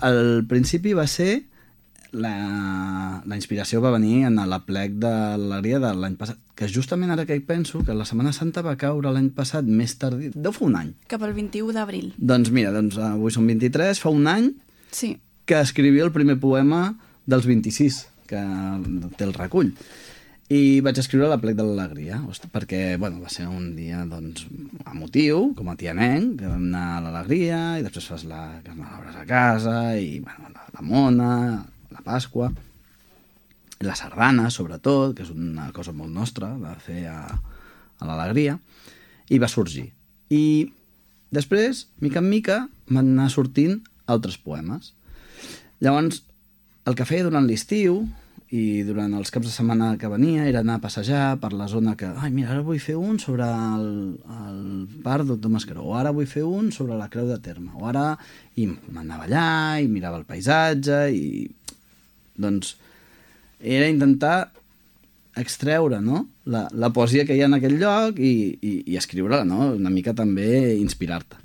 al principi va ser... La inspiració va venir en l'aplec de l'àrea de l'any passat, que justament ara que hi penso, que la Setmana Santa va caure l'any passat més tard, deu fer un any. Cap al 21 d'abril. Doncs mira, avui són 23, fa un any sí. que escrivia el primer poema dels 26, que té el recull. I vaig escriure l'aplec de l'alegria, perquè bueno, va ser un dia doncs, emotiu, com a tianenc, que vam anar a l'alegria, i després fas la carnalabres a casa, i bueno, la mona... la Pasqua, la sardana, sobretot, que és una cosa molt nostra de fer a l'alegria, i va sorgir. I després, mica en mica, van anar sortint altres poemes. Llavors, el que feia durant l'estiu i durant els caps de setmana que venia era anar a passejar per la zona que... Ai, mira, ara vull fer un sobre el parc Doctor Mascaró, o ara vull fer un sobre la Creu de Terme, o ara... I m'anava allà, i mirava el paisatge, i... Doncs era intentar extreure, no? la poesia que hi ha en aquell lloc i escriure-la, no? Una mica també inspirar-te.